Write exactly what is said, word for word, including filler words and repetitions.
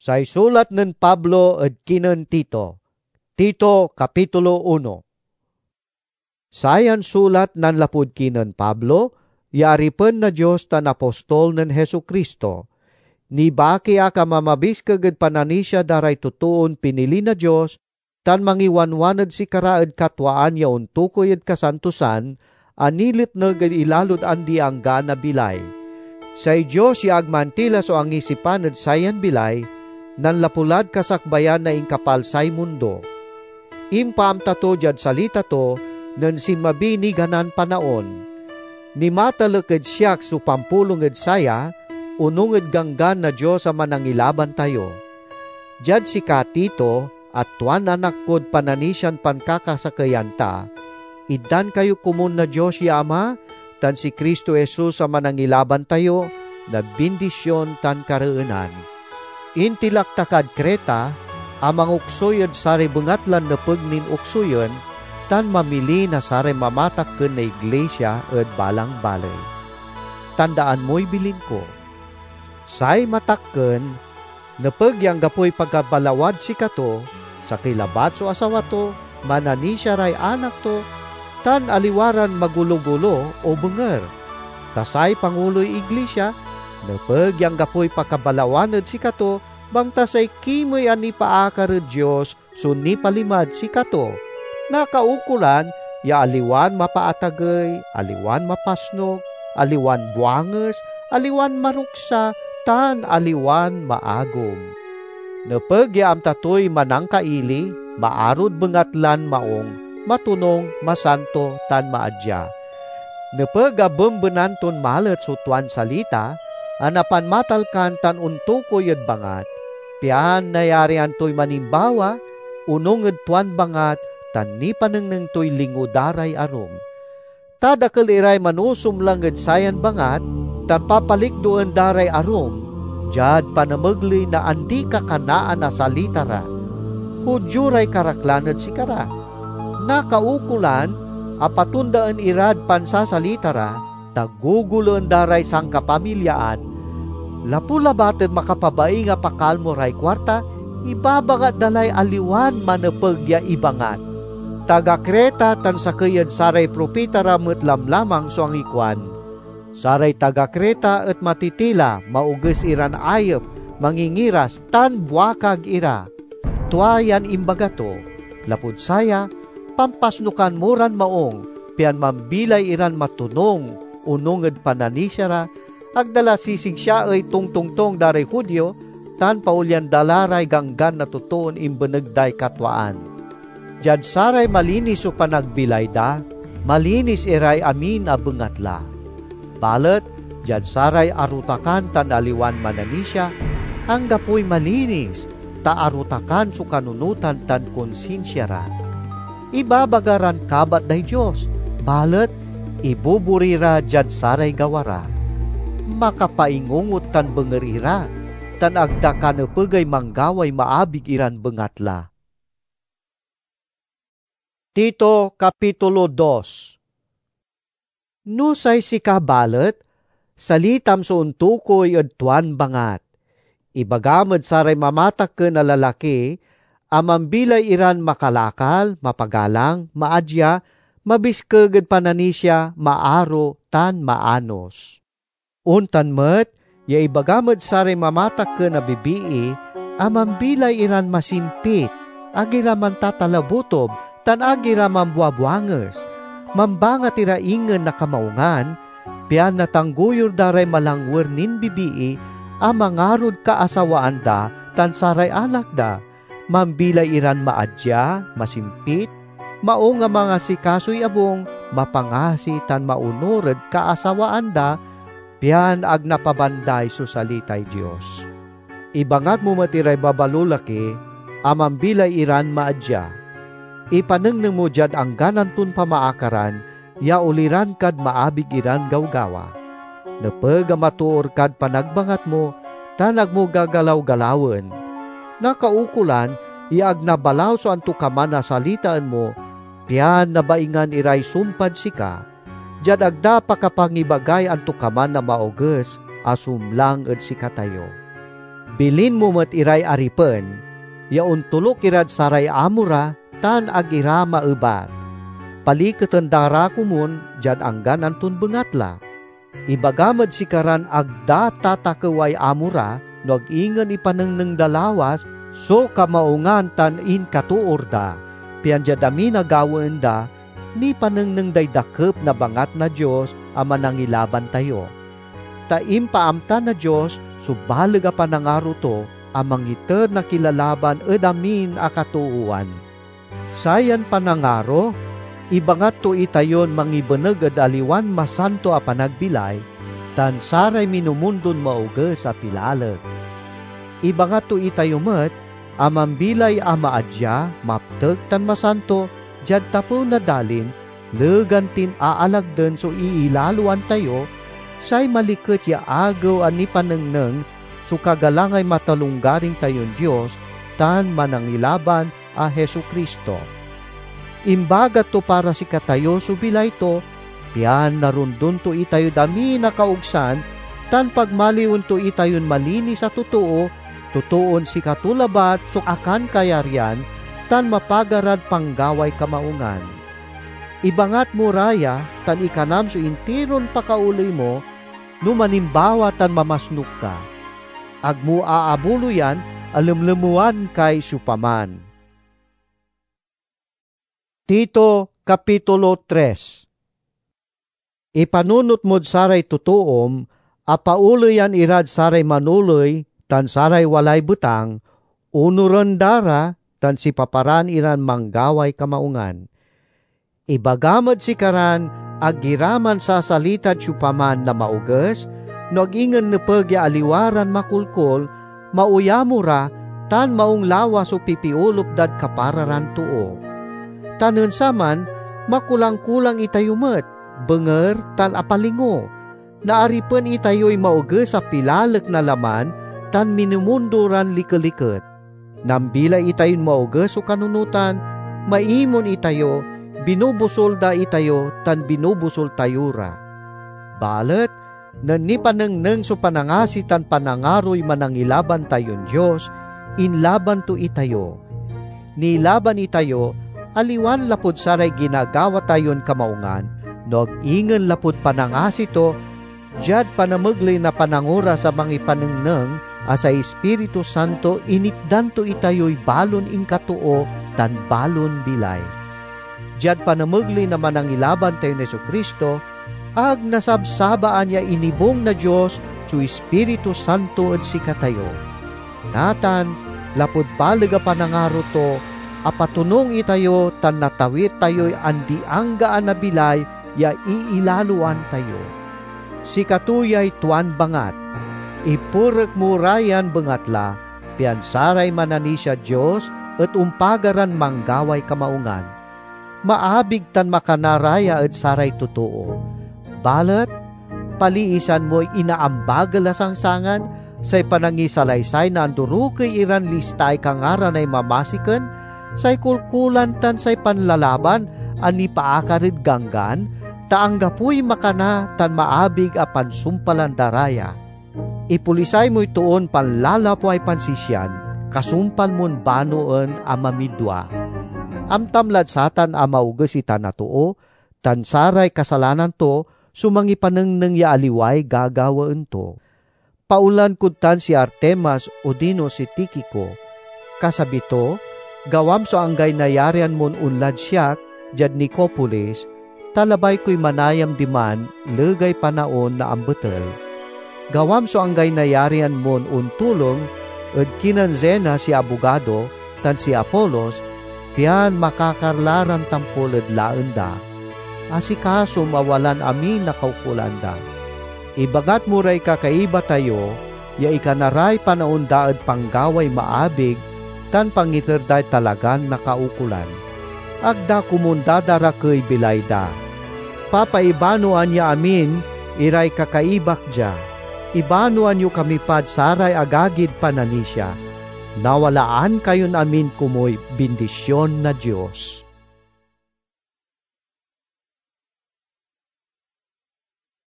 Say sulat nen Pablo ed kinen Tito. Tito, kapitulo uno. Sayan sulat nanlapud kinen Pablo, ya aripen na Dios tan apostol nen Jesu-Cristo. Nibaki ak a mamabiskeg ed pananisia da ray totoon pinili na Dios tan mangiwanwan ed sikara ed katwaan ya ontukoy ed kasantosan a niletneg ed ilalod andi-anggaan a bilay. Say Dios ya ag mantila so angisipan ed sayan bilay, nanlapu lad kasakbayan na inkapalsay mundo. Impaamta to diad salita to nen sinmabiy niganan panaon. Nimatalek ed siak so pampulong ed saya, onung ed Ganggan na Dios a Manangilaban tayo. Diad sika, Tito, a tuan anak kod pananisian pankakasakeyan ta, itdan kayo komun na Dios ya Ama tan si Cristo Jesus a Manangilaban tayo na bindision tan kareenan. Intilak ta kad Creta a mangoksoy ed saray bengatlan nepeg nin oksoyen tan mamili na saray mamatakken na iglisia ed balang baley. Tandaan moy bilin ko. Say matakken nepeg ya anggapoy pakabalawad sikato, sakey labat so asawa to, mananisia ray anak to, tan aliwa ran magolo-golo o benger. Ta say panguloy iglisia nepeg ya anggapoy pakabalawan ed sikato, bangta say kimey a nipaakar ed Dios so nipalimad sikato. Nakaukolan ya aliwan mapaatagey, aliwan mapasnok, aliwan buanges, aliwan maruksa, tan aliwan maagom. Nepeg ya amta toy manangkaili, maarod bengatlan maong, matonung, masanto, tan maadia. Nepeg a bembenan ton malet so tuan salita a napanmatalkan tan ontukoy ed bangat, pian nayarian toy manimbawa, onung ed tuan bangat, tan nipanengneng toy lingo da ray arum. Ta dakel iray manusumlang ed sayan bangat, tan papalikdoen da ray arum diad panamegley na andi-kakanaan a salita ra. Judio ray karaklan ed sikara. Nakaukolan a patondaen irad pansasalita ra, ta guguloen da ray sankapamilyaan, lapu labat ed makapabaing a pakalmo ray kuarta, ibabangat da lay aliwan manepeg ya ibangat. Taga Creta tan sakey ed saray propita ra met lamlamang so angikuan, "Saray taga Creta et matitila, maoges iran ayep, mangingiras, tan buakag ira." Tua yan imbaga to. Lapud saya, pampasnokan mo ran maong, pian mambilay iran matonung onung ed pananisia ra, ag da la sisigsiaey tongtongtong da ray Judio, tan paolyan da la ray ganggan na totoon imbeneg day katwaan. Diad saray malinis so panagbilay da, malinis iray amin a bengatla. Balet diad saray arotakan tan aliwan mananisia, anggapoy malinis, ta arotakan so kanunotan tan konsinsia ra. Ibabaga ran kabat day Dios, balet ibubori ra diad saray gawa ra. Makapaingungot tan benger ira, tan ag da kanepegay manggaway maabig iran bengatla. Tito, kapitulo dos. No say sika balet, salitam so ontukoy ed tuan bangat. Ibagam ed saray mamatakken a lalaki a mambilay iran makalakal, mapagalang, maadia, mabiskeg ed pananisia, maaro, tan maanos. Ontan met ya ibagam ed saray mamatakken a bibii a mambilay iran masimpit, ag ira mantatalabotob, tan ag ira mambuabuanges. Mambangat ira ingen na kamaungan, pian natanggoyur da ray malangwer nin bibii a mangarod kaasawaan da tan saray anak da. Mambilay iran maadia, masimpit, maung a mangasikasoy abung, mapangasi, tan maonur ed kaasawaan da, pian ag napabanday so salitay Dios. Ibangat mo met iray babalolaki a mambilay iran maadia. Ipanengneng mo diad anggan anton pamaakaran ya oliran kad maabig iran gawgawa. Nepeg a matoor kad panagbangat mo, tan ag mo gagalaw-galawen. Nakaukolan ya ag nabalaw so antokaman a salitaen mo, pian nabaingan iray sumpad sika, diad ag da pakapangibagay antokaman a maoges a sumlang ed sikatayo. Bilin mo met iray aripen ya ontoluk irad saray amo ra tan ag ira maebat. Paliketen da ra komun diad anggan anton bengatla. Ibagam ed sikaran ag da tatakeway amo ra, no ag ingen ipanengneng da lawas so kamaungan tan inkatoor da, pian diad amin a gawaen da, nipanengneng day dakep na bangat na Dios a Manangilaban tayo. Ta impaamta na Dios so baleg a panangaro to a mangiter na kilalaban ed amin a katoowan. Sayan panangaro ibangat to itayon mangibeneg ed aliwan masanto a panagbilay tan saray minumundon maoges a pilalek. Ibangat to itayo met a mambilay a maadia, maptek, tan masanto diad tapew na dalin, legan tin aalagden so iilaloan tayo, say maliket ya agew a nipanengneng so kagalangay matalonggaring tayon Dios tan Manangilaban a Jesu-Cristo. Imbagat to para sikatayo so bilay to, pian narondon to itayod amin a kaogsan, tan pagmaliwen to itayon malinis a totoo, totoon sikato labat so akankayaryan tan mapagarad panggaway kamaungan. Ibangat mo ra ya tan ikanam so intiron pakaoley mo no manimbawa tan mamasnuk ka. Ag mo aabuloyan a lemlemewan kay siopaman. Tito, Kapitulo tres. Ipanunot mod saray totoom a paoleyan irad saray manoley tan saray walay betang, onuren da ra tan sipaparaan iran manggaway kamaungan. Ibagam ed sikaran ag ira mansasalitad siopaman na maoges, no ag ingen nepeg ya aliwa ran makolkol, maoyamo ra, tan maung lawas so pipiolup dad kapara ran too. Ta nen saman, makulang-kulang itayo met, benger, tan apalingo. Naaripen itayoy maoges a pilalek na laman tan minumundo ran likeliket. Nambilay itayon maoges so kanunotan, maimon itayo, binubusol da itayo, tan binubusol tayo ra. Balet nen nipanengneng so panangasi tan panangaroy Manangilaban tayon Dios, inlaban to itayo. Nilaban itayo, aliwan lapud saray ginagawa tayon kamaungan, no ag ingen lapud panangasi to, diad panamegley na panangoras a mangipanengneng a say Ispiritu Santo initdan to itayoy balon inkatoo tan balon bilay. Diad panamegley na Manangilaban tayon Jesu-Cristo, ag nasabsabaan ya inibung na Dios so Ispiritu Santo ed sikatayo. Natan, lapud baleg a panangaro to, apatonung itayo tan natawir tayoy andi-anggaan a bilay ya iilaloan tayo. Sikato yay tuan bangat, "Iperek mo ra yan bengatla, pian saray mananisiad Dios et ompagaran manggaway kamaungan." Maabig tan makana ra ya ed saray totoo. Balet paliisan moy inaambagel a sangsangan, say panangisalaysay na andorokey iran listaay kangaranay mamasiken, say kolkolan tan say panlalaban a nipaakar ed ganggan, ta anggapoy makana tan maabig a pansumpalan da ra ya. Ipolisay moy toon panlalapway pansisian, kasumpal mon banoen a mamidua. Amtam lad satan a maoges itan a too, tan saray kasalanan to so mangipanengneng ya aliway gagawaen to. Paonlan kod tan si Artemas odino si Tikico. Kasabi to, gawam so anggay nayarian mon onlad siak diad Nicopolis, ta labay koy manayam diman legay panaon na ambetel. Gawam so anggay nayarian mon ontulong ed kinen Zenas ya abogado tan si Apolos, pian makakarla ran tampol ed laen da. Asikasom a walan amin a kaukolan da. Ibangat mo ray kakaiba tayo ya ikana ray panaon da ed panggaway maabig tan pangiter day talagan nakaukolan. Ag da komun dadarakey bilay da. Papaibanoan ya amin iray kakaibak dia. Ibanoan yo kami pad saray agagid pananisia. Nawalaan kayon amin komuy bindision na Dios.